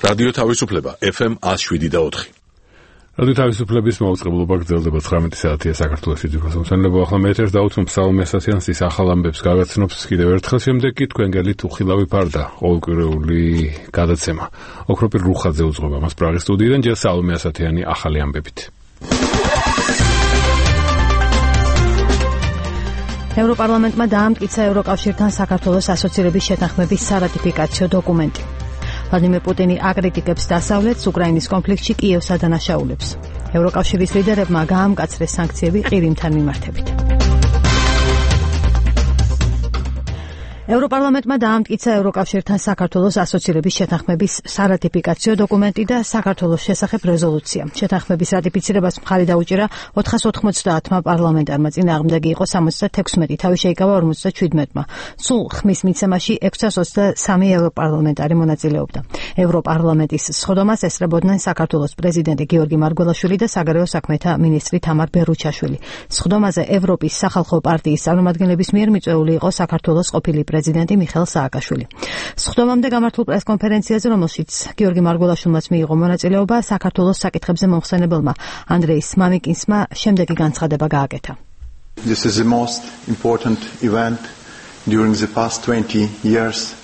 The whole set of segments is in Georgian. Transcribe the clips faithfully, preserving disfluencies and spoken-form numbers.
რადიო თავისუფლება ეფ ემ one oh seven point four. რადიო თავისუფლების მაუწყებლობა გრძელდება ცხრამეტი საათია საქართველოში ძირფასმომსავნელო ახლა მე ეთერს დავუწყებ საუme ასათიანსის ახალ ამბებს გაგაცნობს კიდევ ერთხელ შემდეგ კი თქვენ გელით უხილავი ფარდა ყოველკვირეული გადაცემა ოქროპირ რუხაძე უძღვება მას პრაღის სტუდიიდან ჯერ საუme ასათიანი ახალი ამბებით. ევროპარლამენტმა დაამტკიცა ევროკავშირთან საქართველოს ასოცირების შეთანხმების სარატიფიკაციო დოკუმენტი. ვლადიმერ პუტინი აკრიტიკებს დასავლეთს უკრაინის კონფლიქტში კიევს ადანაშაულებს. ევროკავშირის ლიდერებმა გაამკაცრეს სანქციები ყირიმთან მიმართებით. ევროპარლამენტმა დაამტკიცა ევროკავშირთან საქართველოს ასოცირების შეთანხმების სარატიფიკაციო დოკუმენტი და საქართველოს შესახებ რეზოლუცია. შეთანხმების რატიფიცირებას მხარი დაუჭირა ოთხას ოთხმოცდაათმა პარლამენტარმა, წინააღმდეგი იყო სამოცდათექვსმეტი, თავი შეიკავა ორმოცდაჩვიდმეტმა. სულ ხმის მიცემაში ექვსას ოცდასამი ევროპარლამენტარი მონაწილეობდა. ევროპარლამენტის სხდომას ესწრებოდნენ საქართველოს პრეზიდენტი გიორგი მარგველაშვილი და საგარეო საქმეთა მინისტრი თამარ ბერუჩაშვილი. სხდომაზე ევროპის სახალხო პარტიის წარმომადგენლების მიერ მიწვეული იყო საქართველოს ყოფილი პრეზიდენტი მიხეილ სააკაშვილი. სხდომამდე გამართულ პრესკონფერენციაზე, რომელშიც გიორგი მარგველაშვილმაც მიიღო მონაწილეობა, საქართველოს საკითხებზე მომხსენებელმა ანდრეის მამიკინსმა შემდეგი განცხადება გააკეთა. This is the most important event during the past twenty years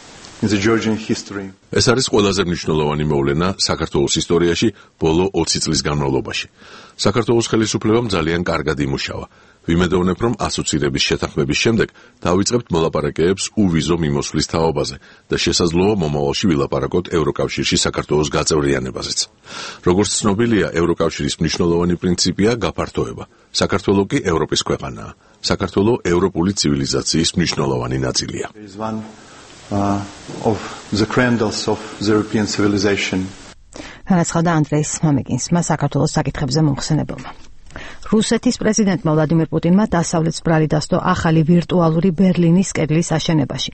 in the Georgian history. ეს არის ყველაზე მნიშვნელოვანი მოვლენა საქართველოს ისტორიაში ბოლო ოცი წლის განმავლობაში. საქართველოს ხელისუფლებამ ძალიან კარგად იმუშავა. ვიმედოვნებ, რომ ასოცირების შეთანხმების შემდეგ დავიწყებთ მოლაპარაკებებს უვიზო მიმოსვლის თაობაზე და შესაძლოა მომავალში ვილაპარაკოთ ევროკავშირში საქართველოს გაწევრიანებაზეც. როგორც ცნობილია, ევროკავშირის მნიშვნელოვანი პრინციპია გაფართოება. საქართველო კი ევროპის ქვეყანაა. საქართველო ევროპული ცივილიზაციის მნიშვნელოვანი ნაწილია. Uh, of the cradles of the European civilization. განაცხადა ანდრეის მამიკინსმა საქართველოს საკითხებზე მომხსენებელმა. რუსეთის პრეზიდენტმა ვლადიმერ პუტინმა დასავლეთს ბრალი დასდო ახალი ვირტუალური ბერლინის კედლის აშენებაში.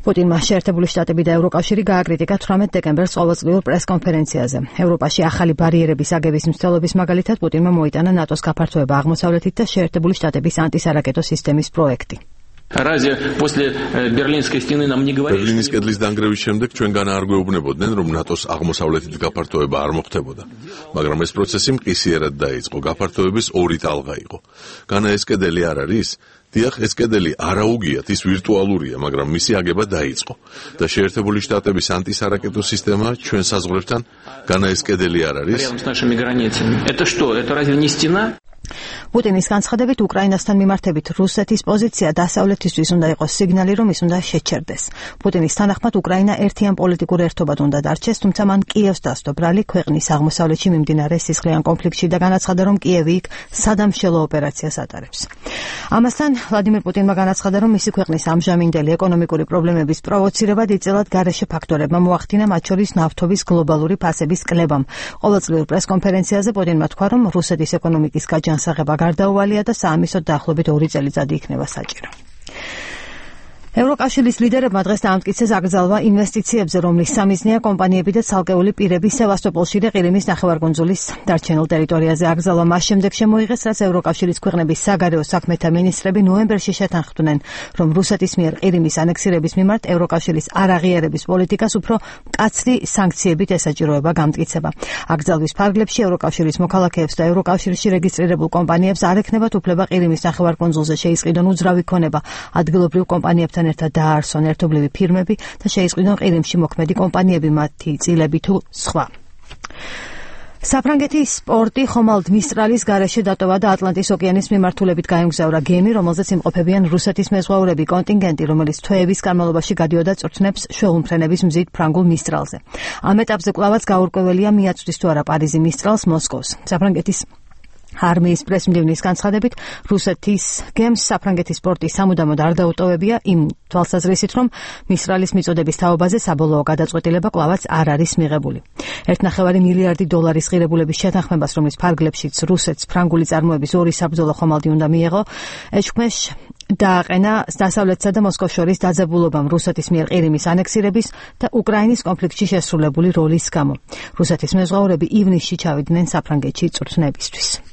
პუტინმა შეერთებული შტატები და ევროკავშირი გააკრიტიკა თვრამეტ დეკემბერს ყოველწლიურ პრესკონფერენციაზე. ევროპაში ახალი ბარიერების აგების მცდელობის მაგალითად პუტინმა მოიტანა ნატოს გაფართოება აღმოსავლეთით და შეერთებული შტატების ანტისარაკეტო სისტემის პროექტი. Разве после Берлинской стены нам не говорили? Berlinis კედლის დანგრევის შემდეგ ჩვენგან არ გვეუბნებოდნენ, რომ ნატოს აღმოსავლეთით გაფართოება არ მოხდებოდა. მაგრამ ეს პროცესი მყისიერად დაიწყო. გაფართოების ორი ტალღა იყო. განა ეს კედელი არ არის? დიახ, ეს კედელი არაუგიათ, ის ვირტუალურია, მაგრამ მისი აგება დაიწყო. და შეერთებული შტატების ანტისარაკეტო სისტემა ჩვენ საზღვრებთან, განა ეს კედელი არ არის? Рядом с нашими границами. Это что? Это разве не стена? პუტინის განცხადებით უკრაინასთან მიმართებით რუსეთის პოზიცია დასავლეთისთვის უნდა იყოს სიგნალი, რომ ის უნდა შეჩერდეს. პუტინის თანახმად უკრაინა ერთიან პოლიტიკურ ერთობად უნდა დარჩეს, თუმცა მან კიევს დასდო ბრალი ქვეყნის აღმოსავლეთში მიმდინარე სისხლიან კონფლიქტში და განაცხადა, რომ კიევი იქ სადამშელო ოპერაციას ატარებს. ამასთან ვლადიმერ პუტინმა განაცხადა, რომ მისი ქვეყნის ამჟამინდელი ეკონომიკური პრობლემების პროვოცირებად იწილად გარეშე ფაქტორებმა მოახდინა, მათ შორის ნავთობის გლობალური ფასების კლებამ. ყოველწლიურ პრესკონფერენციაზე პუტინმა თქვა, რომ რუსეთის ეკონომიკის გაჯანსაღება გარდაუვალია და საამისოდ დაახლოებით ორი წელიწადი იქნება საჭირო. ევროკავშირის ლიდერებმა დღეს დაამტკიცეს აკრძალვა ინვესტიციებზე, რომლის სამიზნეა კომპანიები და ცალკეული პირები სევასტოპოლში და ყირიმის ნახევარკუნძულის დარჩენილ ტერიტორიაზე. აკრძალვა მას შემდეგ შემოიღეს, რაც ევროკავშირის ქვეყნების საგარეო საქმეთა მინისტრები ნოემბერში შეთანხმდნენ, რომ რუსეთის მიერ ყირიმის ანექსირების მიმართ ევროკავშირის არაღიარების პოლიტიკას უფრო მკაცრი სანქციებით ესაჭიროება გამტკიცება. აკრძალვის ფარგლებში ევროკავშირის მოქალაქეებს და ევროკავშირში რეგისტრირებულ კომპანიებს არ ექნებათ უფლება ყირიმის ნახევარკუნძულზე შეისყიდონ უძრავი ქონება ადგილობრივ კომპანიებთან ერთად დაარსონ ერთობლივი ფირმები და შეისყიდონ ყირიმში მოქმედი კომპანიები, მათი წილები თუ სხვა. საფრანგეთის პორტი ხომალდ მისტრალის გარეშე დატოვა და ატლანტის ოკეანის მიმართულებით გაემგზავრა გემი, რომელზეც იმყოფებიან რუსეთის მეზღვაურები კონტინგენტი, რომელიც თვეების განმავლობაში გადიოდა წვრთნებს შვეულმფრენების მზით ფრანგულ მისტრალზე. ამ ეტაპზე კვლავაც გაურკვეველია მიაწვდის თუ არა პარიზი მისტრალს მოსკოვს. საფრანგეთის არმიის პრესმდივნის განცხადებით, რუსეთის გემს საფრანგეთის პორტი სამუდამოდ არ დაუტოვებია იმ თვალსაზრისით, რომ მისტრალის მიწოდების თაობაზე საბოლოო გადაწყვეტილება კვლავაც არ არის მიღებული. ერთნახევარი მილიარდი დოლარის ღირებულების შეთანხმებას, რომლის ფარგლებშიც რუსეთს ფრანგული წარმოების ორი საბრძოლო ხომალდი უნდა მიეღო, ეჭვმეშ დააყენა დასავლეთსა და მოსკოვს შორის დაძაბულობამ რუსეთის მიერ ყირიმის ანექსირების და უკრაინის კონფლიქტში შესრულებული როლის გამო. რუსეთის მეზღვაურები ივნისში ჩავიდნენ საფრანგეთში წვრთნებისთვის.